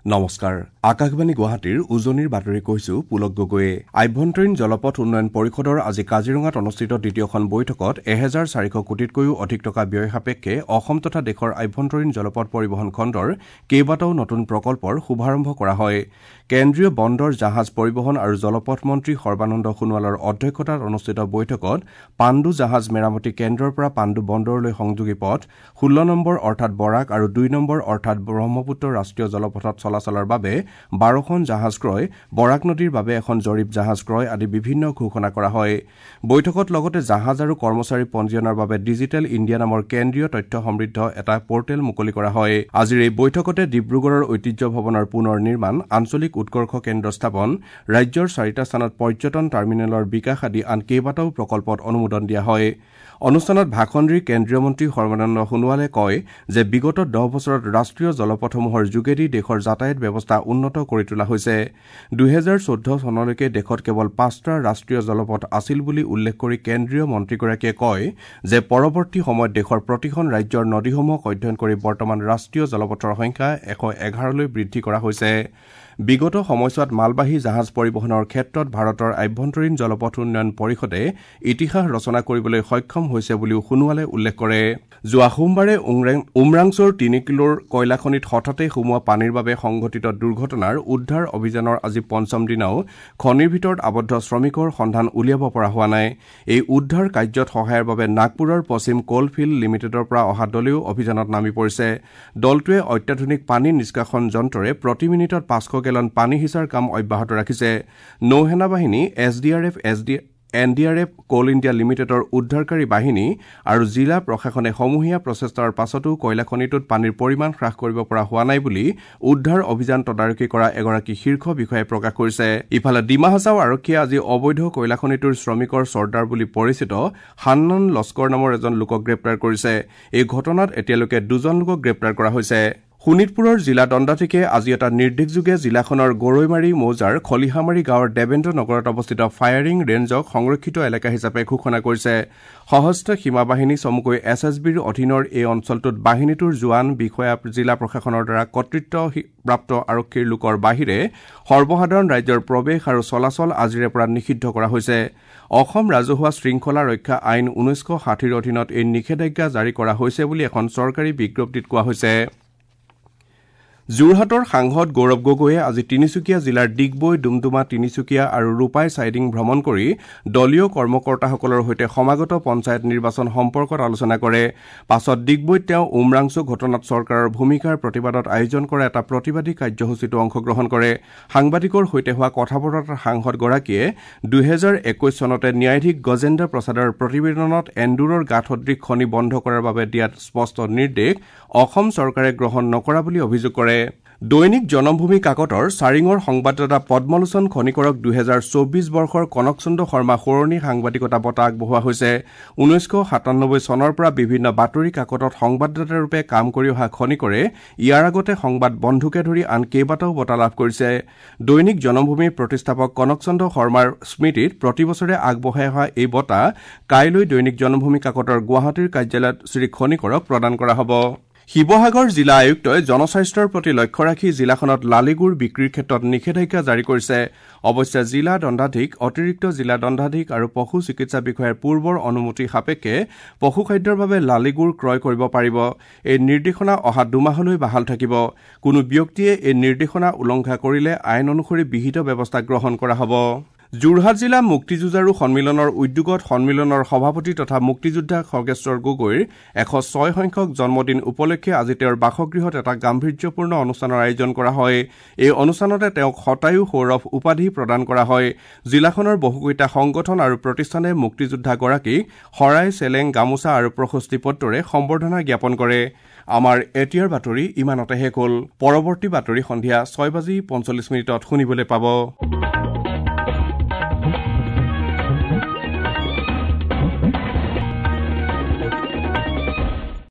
নমস্কাৰ, আকাশবাণী গুৱাহাটীৰ উজনিৰ বাতৰি কৈছো পুলক গগৈয়ে। আভ্যন্তৰীণ জলপথ উন্নয়ন পৰিষদৰ আজি কাজিৰঙাত অনুষ্ঠিত দ্বিতীয়খন বৈঠকত ১৪০০ কোটিতকৈও অধিক টকা ব্যয় সাপেক্ষে অসম তথা দেশৰ আভ্যন্তৰীণ জলপথ পৰিবহণ খণ্ডৰ কেইবাটাও নতুন প্ৰকল্পৰ শুভাৰম্ভ কৰা হয়। কেন্দ্ৰীয় বন্দৰ, জাহাজ পৰিবহণ আৰু জলপথ মন্ত্ৰী সৰ্বানন্দ সোণোৱালৰ অধ্যক্ষতাত অনুষ্ঠিত বৈঠকত পাণ্ডু জাহাজ মেৰামতি কেন্দ্ৰৰ পৰা পাণ্ডু বন্দৰলৈ সংযোগী পথ, ১৬ নম্বৰ অৰ্থাৎ বৰাক আৰু ২ নম্বৰ অৰ্থাৎ ব্ৰহ্মপুত্ৰ ৰাষ্ট্ৰীয় জলপথত চলাচলৰ বাবে ১২খন জাহাজ ক্ৰয়, বৰাক নদীৰ বাবে এখন জৰীপ জাহাজ ক্ৰয় আদি বিভিন্ন ঘোষণা কৰা হয়। বৈঠকত লগতে জাহাজ আৰু কৰ্মচাৰী পঞ্জীয়নৰ বাবে ডিজিটেল ইণ্ডিয়া নামৰ কেন্দ্ৰীয় তথ্য সমৃদ্ধ এটা পৰ্টেল মুকলি কৰা হয়। আজিৰ এই বৈঠকতে ডিব্ৰুগড়ৰ ঐতিহ্য ভৱনৰ পুনৰ নিৰ্মাণ, আঞ্চলিক উৎকৰ্ষ কেন্দ্ৰ স্থাপন, ৰাজ্যৰ চাৰিটা স্থানত পৰ্যটন টাৰ্মিনেলৰ বিকাশ আদি আন কেইবাটাও প্ৰকল্পত অনুমোদন দিয়া হয়। অনুষ্ঠানত ভাষণ দি কেন্দ্ৰীয় মন্ত্ৰী সৰ্বানন্দ সোণোৱালে কয় যে বিগত ১০ বছৰত ৰাষ্ট্ৰীয় জলপথসমূহৰ যোগেদি দেশৰ যাতায়াত ব্যৱস্থা উন্নত কৰি তোলা হৈছে। ২০১৪ চনলৈকে দেশত কেৱল ৫টা ৰাষ্ট্ৰীয় জলপথ আছিল বুলি উল্লেখ কৰি কেন্দ্ৰীয় মন্ত্ৰীগৰাকীয়ে কয় যে পৰৱৰ্তী সময়ত দেশৰ প্ৰতিখন ৰাজ্যৰ নদীসমূহক অধ্যয়ন কৰি বৰ্তমান ৰাষ্ট্ৰীয় জলপথৰ সংখ্যা ১১১লৈ বৃদ্ধি কৰা হৈছে। বিগত সময়ছোৱাত মালবাহী জাহাজ পৰিবহণৰ ক্ষেত্ৰত ভাৰতৰ আভ্যন্তৰীণ জলপথ উন্নয়ন পৰিষদে ইতিহাস ৰচনা কৰিবলৈ সক্ষম হৈছে বুলিও সোণোৱালে উল্লেখ কৰে। যোৱা সোমবাৰে উমৰাংছুৰ ৩ কিলোৰ কয়লাখনিত হঠাতে সোমোৱা পানীৰ বাবে সংঘটিত দুৰ্ঘটনাৰ উদ্ধাৰ অভিযানৰ আজি পঞ্চম দিনাও খনিৰ ভিতৰত আবদ্ধ শ্ৰমিকৰ সন্ধান উলিয়াব পৰা হোৱা নাই। এই উদ্ধাৰ কাৰ্যত সহায়ৰ বাবে নাগপুৰৰ পশ্চিম কোলফিল্ড লিমিটেডৰ পৰা অহা দলেও অভিযানত নামি পৰিছে। দলটোৱে অত্যাধুনিক পানী নিষ্কাশন যন্ত্ৰৰে প্ৰতি মিনিটত ৫০০ গেলন পানী সিঁচাৰ কাম অব্যাহত ৰাখিছে। নৌসেনা বাহিনী, S D R F, N D R F, Coal India লিমিটেডৰ উদ্ধাৰকাৰী বাহিনী আৰু জিলা প্ৰশাসনে সমূহীয়া প্ৰচেষ্টাৰ পাছতো কয়লাখনিটোত পানীৰ পৰিমাণ হ্ৰাস কৰিব পৰা হোৱা নাই বুলি উদ্ধাৰ অভিযান তদাৰকী কৰা এগৰাকী শীৰ্ষ বিষয়াই প্ৰকাশ কৰিছে। ইফালে ডিমা হাছাও আৰক্ষীয়ে আজি অবৈধ কয়লাখনিটোৰ শ্ৰমিকৰ চৰ্দাৰ বুলি পৰিচিত হান্নান লস্কৰ নামৰ এজন লোকক গ্ৰেপ্তাৰ কৰিছে। এই ঘটনাত এতিয়ালৈকে ২জন লোকক গ্ৰেপ্তাৰ কৰা হৈছে। শোণিতপুৰৰ জিলা দণ্ডাধীশে আজি এটা নিৰ্দেশযোগে জিলাখনৰ গৰৈমাৰী মৌজাৰ খলিহামাৰী গাঁৱৰ দেৱেন্দ্ৰ নগৰত অৱস্থিত ফায়াৰিং ৰেঞ্জক সংৰক্ষিত এলেকা হিচাপে ঘোষণা কৰিছে। সশস্ত্ৰ সীমা বাহিনী চমুকৈ এছ এছ বিৰ অধীনৰ এই অঞ্চলটোত বাহিনীটোৰ জোৱান, বিষয়া, জিলা প্ৰশাসনৰ দ্বাৰা কৰ্তৃত্বপ্ৰাপ্ত আৰক্ষীৰ লোকৰ বাহিৰে সৰ্বসাধাৰণ ৰাজ্যৰ প্ৰৱেশ আৰু চলাচল আজিৰে পৰা নিষিদ্ধ কৰা হৈছে। অসম ৰাজহুৱা শৃংখলা ৰক্ষা আইন ১৯৬০ৰ অধীনত এই নিষেধাজ্ঞা জাৰি কৰা হৈছে বুলি এখন চৰকাৰী বিজ্ঞপ্তিত কোৱা হৈছে। যোৰহাটৰ সাংসদ গৌৰৱ গগৈয়ে আজি তিনিচুকীয়া জিলাৰ ডিগবৈ, ডুমডুমা, তিনিচুকীয়া আৰু ৰূপাই চাইডিং ভ্ৰমণ কৰি দলীয় কৰ্মকৰ্তাসকলৰ সৈতে সমাগত পঞ্চায়ত নিৰ্বাচন সম্পৰ্কত আলোচনা কৰে। পাছত ডিগবৈত তেওঁ উমৰাংছু ঘটনাত চৰকাৰৰ ভূমিকাৰ প্ৰতিবাদত আয়োজন কৰা এটা প্ৰতিবাদী কাৰ্যসূচীতো অংশগ্ৰহণ কৰে। সাংবাদিকৰ সৈতে হোৱা কথা বতৰাত সাংসদগৰাকীয়ে ২০২১ চনতে ন্যায়াধীশ গজেন্দ্ৰ প্ৰসাদৰ প্ৰতিবেদনত এন্দুৰৰ গাঁত সদৃশ খনি বন্ধ কৰাৰ বাবে দিয়াত স্পষ্ট নিৰ্দেশ অসম চৰকাৰে গ্ৰহণ নকৰা বুলি অভিযোগ কৰে। দৈনিক জনমভূমি কাকতৰ চাৰিঙৰ সংবাদদাতা পদ্মলোচন খনিকৰক ২০২৪ বৰ্ষৰ কনকচন্দ্ৰ শৰ্মা সোঁৱৰণী সাংবাদিকতা বঁটা আগবঢ়োৱা হৈছে। ১৯৯৭ চনৰ পৰা বিভিন্ন বাতৰি কাকতত সংবাদদাতাৰূপে কাম কৰি অহা খনিকৰে ইয়াৰ আগতে সংবাদ বন্ধুকে ধৰি আন কেইবাটাও বঁটা লাভ কৰিছে। দৈনিক জনমভূমিৰ প্ৰতিষ্ঠাপক কনকচন্দ্ৰ শৰ্মাৰ স্মৃতিত প্ৰতিবছৰে আগবঢ়াই অহা এই বঁটা কাইলৈ দৈনিক জনমভূমি কাকতৰ গুৱাহাটীৰ কাৰ্যালয়ত শ্ৰীখনিকৰক প্ৰদান কৰা হ'ব। শিৱসাগৰ জিলা আয়ুক্তই জনস্বাস্থ্যৰ প্ৰতি লক্ষ্য ৰাখি জিলাখনত লালিগুৰ বিক্ৰীৰ ক্ষেত্ৰত নিষেধাজ্ঞা জাৰি কৰিছে। অৱশ্যে জিলা দণ্ডাধীশ, অতিৰিক্ত জিলা দণ্ডাধীশ আৰু পশু চিকিৎসা বিষয়াৰ পূৰ্বৰ অনুমতি সাপেক্ষে পশুখাদ্যৰ বাবে লালিগুৰ ক্ৰয় কৰিব পাৰিব। এই নিৰ্দেশনা অহা ২ মাহলৈ বাহাল থাকিব। কোনো ব্যক্তিয়ে এই নিৰ্দেশনা উলংঘা কৰিলে আইন অনুসৰি বিহিত ব্যৱস্থা গ্ৰহণ কৰা হ'ব। যোৰহাট জিলা মুক্তিযুঁজাৰু সন্মিলনৰ উদ্যোগত সন্মিলনৰ সভাপতি তথা মুক্তিযোদ্ধা খৰ্গেশ্বৰ গগৈৰ ১০৬ সংখ্যক জন্মদিন উপলক্ষে আজি তেওঁৰ বাসগৃহত এটা গাম্ভীৰ্যপূৰ্ণ অনুষ্ঠানৰ আয়োজন কৰা হয়। এই অনুষ্ঠানতে তেওঁক শতায়ু সৌৰভ উপাধি প্ৰদান কৰা হয়। জিলাখনৰ বহুকেইটা সংগঠন আৰু প্ৰতিষ্ঠানে মুক্তিযোদ্ধাগৰাকীক শৰাই, চেলেং, গামোচা আৰু প্ৰশস্তি পত্ৰৰে সম্বৰ্ধনা জ্ঞাপন কৰে। আমাৰ এতিয়াৰ বাতৰি ইমানতে শেষ হ'ল। পৰৱৰ্তী বাতৰি সন্ধিয়া ৬:৪৫ শুনিবলৈ পাব।